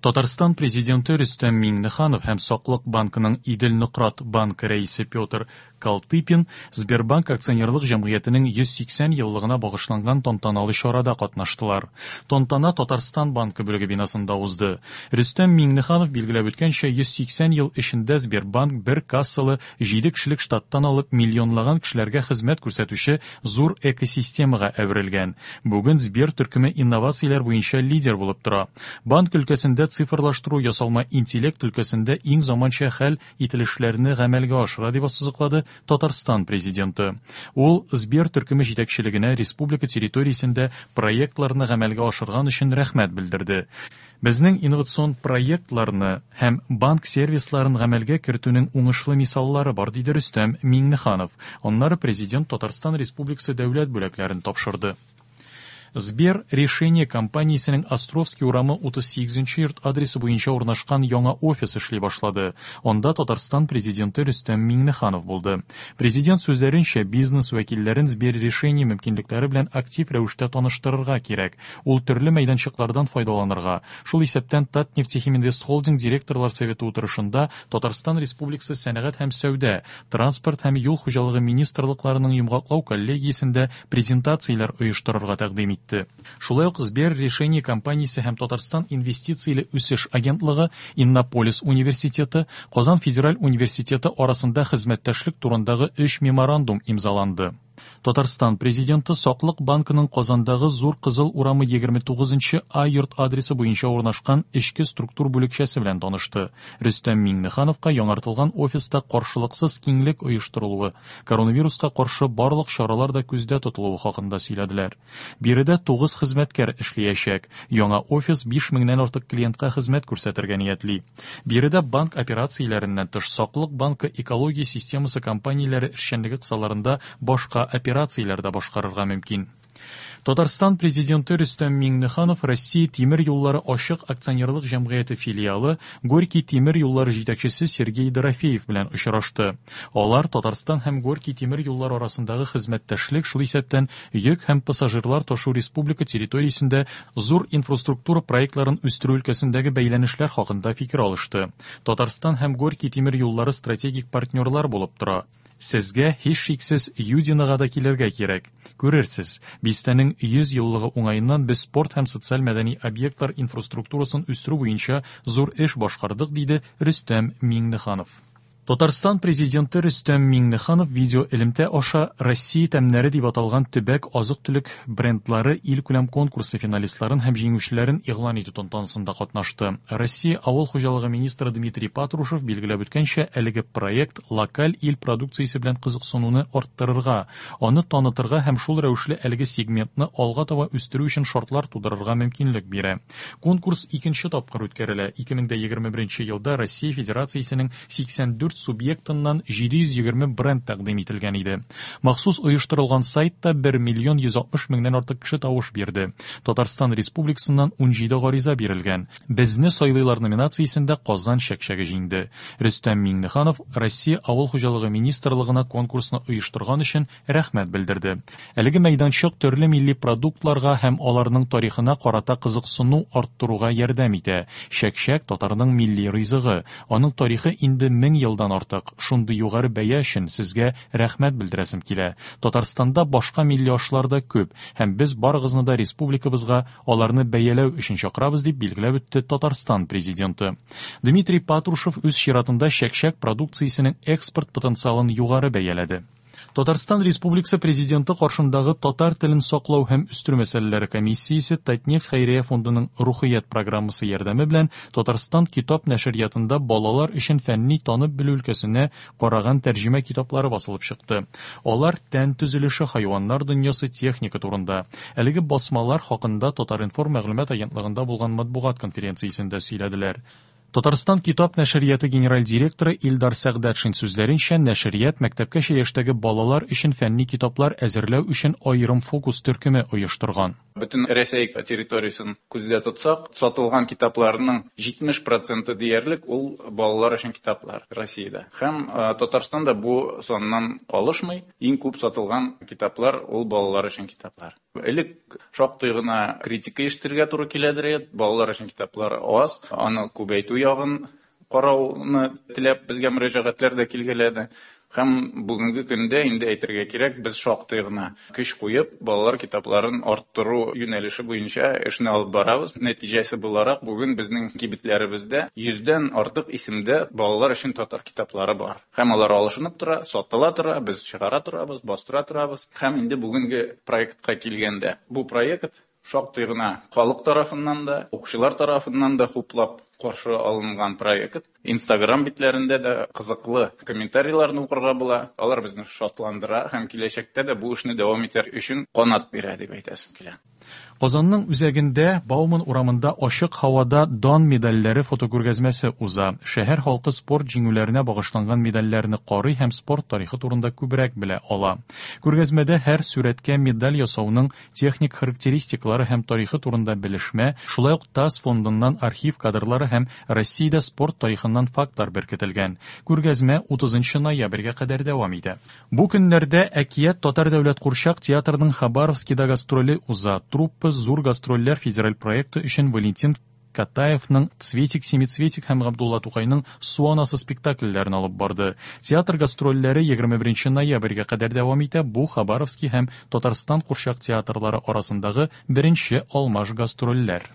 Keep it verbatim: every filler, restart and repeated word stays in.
Татарстан Президенты Рөстәм Миңнеханов һәм Саклык банкының Идел-Нократ банкы рәисе Петр Колтыпин Сбербанк акционерлык җәмгыятенең йөз сиксән еллыгына багышланган тантаналы чарада катнаштылар. Тантана Татарстан банкы бүлеге бинасында узды. Рөстәм Миңнеханов билгеләп үткәнчә, йөз сиксән ел эчендә Сбербанк бер кассалы җиде кешелек штаттан алып миллионлаган кешеләргә хезмәт күрсәтүче зур экосистемага әверелгән. Бүген Сбер төркеме инновацияләр буенча лидер булып тора. Банк өлкәсендә цифрлаштыру, ясалма интеллект өлкәсендә иң заманча хәл ителешләрне гамәлгә ашыра, дип ассызыклады Татарстан президенты. Ул Сбер төркеме җитәкчелегенә республика территориясендә проектларны гамәлгә ашырган өчен рәхмәт белдерде. Безнең инновацион проектларны һәм банк сервисларын гамәлгә кертүнең уңышлы мисаллары бар, диде Рөстәм Миңнеханов. Аннары президент Татарстан Республикасы дәүләт бүләкләрен тапшырды. Сбер решение компаниясенең Островский урамы утыз сигезенче йорт адресы буенча урнашкан яңа офис эшли башлады. Анда Татарстан президенты Рөстәм Миңнеханов булды. Президент сүзләренчә, бизнес вәкилләрен Сбер решение мөмкинлекләре белән актив рәвештә таныштырырга кирәк. Ул төрле мәйданчыклардан файдаланырга, шул исәптән Татнефтехиминвестхолдинг директорлар советы утырышында Татарстан Республикасы сәнәгать һәм сәүдә, транспорт һәм юл хуҗалыгы министрлыкларының йомгаклау коллегиясендә презентацияләр оештырырга тәкъдим итте. Шулай ук Сбер решение компаниясе һәм Татарстан инвестицияле үсеш агентлыгы, Иннополис университеты, Казан федераль университеты арасында хезмәттәшлек турындагы өч меморандум имзаланды. Татарстан президенты Саклык банкының Казандагы Зур Кызыл урамы егерме тугызынчы А йорт адресы буенча урнашкан эчке структур бүлекчәсе белән танышты. Рөстәм Миңнехановка яңартылган офиста каршылыксыз киңлек оештырылуы, коронавируска каршы барлык чаралар да күздә тотылуы хакында сөйләделәр. Биредә тугыз хезмәткәр эшләячәк. Яңа офис биш меңнән артык клиентка хезмәт күрсәтергә ниятли. Биредә банк операцияләреннән тыш Саклык банкы экология системасы компанияләре эшчәнлеге кысаларында башка операцияләр дә башкарырга мөмкин. Татарстан президенты Рөстәм Миңнеханов Россия тимер юллары ачык акционерлык җәмгыяте филиалы Горький тимер юллары җитәкчесе Сергей Дорофеев белән очрашты. Алар Татарстан һәм Горький тимер юллары арасындагы хезмәттәшлек, шул исәптән йөк һәм пассажирлар ташу республика территориясендә зур инфраструктура проектларын үстерү өлкәсендәге бәйләнешләр хакында фикер алышты. Татарстан һәм Горький тимер юллары стратегик партнерлар булып тора. Сезгә һичшиксез Юдинога да килергә кирәк. Күрерсез, бистәнең йөз еллыгы уңаеннан без спорт һәм социаль-мәдәни объектлар инфраструктурасын үстерү буенча зур эш башкардык, диде Рөстәм Миңнеханов. Татарстан президенты Рөстәм Миңнеханов видео элемтә аша Россия тәмнәре дип аталган төбәк азык-төлек брендлары илкүләм конкурсы финалистларын һәм җиңүчеләрен игълан итү тантанасында катнашты. Россия авыл хуҗалыгы министры Дмитрий Патрушев билгеләп үткәнчә, әлеге проект локаль ил продукциясе белән кызыксынуны арттырырга, аны танытырга һәм шул рәвешле әлеге сегментны алга таба үстерү өчен шартлар тудырырга мөмкинлек бирә. Конкурс икенче тапкыр үткәрелә. ике мең егерме беренче елда Россия Федерациясенең сиксән дүрт субъектыннан җиде йөз егерме бренд тәкъдим ителгән иде. Махсус оештырылган сайтта бер миллион йөз алтмыш меңнән артык кеше тавыш бирде. Татарстан Республикасыннан ун җиде гариза бирелгән. Безне сайлыйлар номинациясендә Казан чәкчәге җиңде. Рөстәм Миңнеханов Россия Авыл хуҗалыгы министрлыгына конкурсны оештырган өчен рәхмәт белдерде. Әлеге мәйданчык төрле милли продуктларга һәм аларның тарихына карата кызыксыну арттыруга ярдәм итә. Чәкчәк татарның милли ризыгы. Аның тарихы инде мең елдан артык. Шундый югары бәя өчен сезгә рәхмәт белдерәсем килә. Татарстанда башка милли ашлар да күп һәм без барыгызны да республикабызга аларны бәяләү өчен чакырабыз, дип билгеләп үтте Татарстан президенты. Дмитрий Патрушев үз чиратында чәкчәк продукциясенең экспорт потенциалын югары бәяләде. Татарстан Республикасы президенты каршындагы татар телен саклау һәм үстерү мәсьәләләре комиссиясе Татнефть хәйрия фондының Рухият программасы ярдәме белән Татарстан китап нәшриятында балалар өчен фәнни танып белү өлкәсенә караган тәрҗемә китаплары басылып чыкты. Алар тән төзелеше, хайваннар дөньясы, техника турында. Әлеге басмалар хакында Татар-информ мәгълүмат агентлыгында булган матбугат конференциясендә сөйләделәр. Татарстан китап нәшрияты генераль директоры Илдар Сәгъдәтшин сүзләренчә, нәшрият мәктәпкәчә яшьтәге балалар өчен фәнни китаплар әзерләү өчен аерым фокус төркеме оештырган. Бөтен Рәсәй территориясен күздә тотсак, сатылган китапларның җитмеш проценты диярлек ул балалар өчен китаплар Россиядә. Һәм, э, Татарстанда бу саннан калышмый, иң күп сатылган китаплар ул балалар өчен китаплар. Элек шактый гына критика ишетергә туры киләдер, балалар өчен китаплар аз, аны күбәйтү ягын карауны теләп безгә мөрәҗәгатьләр дә килгәләде. Һәм бүгенге көндә инде әйтергә кирәк, без шактый гына көч куеп, балалар китапларын арттыру юнәлеше буенча эшне алып барабыз. Нәтиҗәсе буларак, бүген безнең кибетләребездә йөздән артык исемдә балалар өчен татар китаплары бар. Һәм алар алышынып тора, сатыла тора, без чыгара торабыз, бастыра торабыз. Һәм инде бүгенге проектка килгәндә, бу проект шактый гына халык тарафыннан да, укучылар тарафыннан да хуплап каршы алынган проект. Инстаграм битләрендә дә кызыклы комментарийларны укырга була. Алар безне шатландыра һәм киләчәктә дә бу эшне дәвам итәр өчен канат бирә дип әйтәсем килә. Казанның үзәгендә Бауман урамында ачык һавада дан медальләре фотокүргәзмәсе уза. Шәһәр халкы спорт җиңүләренә багышланган медальләрне карый һәм спорт тарихы турында күбрәк белә ала. Күргәзмәдә һәр сүрәткә медаль ясауның техник характеристикалары һәм тарихы турында белешмә, шулай ук ТАСС фондыннан архив кадрлары һәм Россиядә спорт тарихыннан фактлар беркетелгән. Күргәзмә утызынчы ноябрьгә кадәр дәвам итә. Бу көннәрдә Әкият татар дәүләт курчак театрының Хабаровскида гастроле уза. Труппа Зур гастрольләр федераль проекты өчен Валентин Катаевның Цветик-семицветик һәм Габдулла Тукайның Су анасы спектакльләрен алып барды. Театр гастрольләре егерме беренче ноябрьгә кадәр дәвам итә. Бу Хабаровский һәм Татарстан курчак театрлары арасындагы беренче алмаш гастрольләр.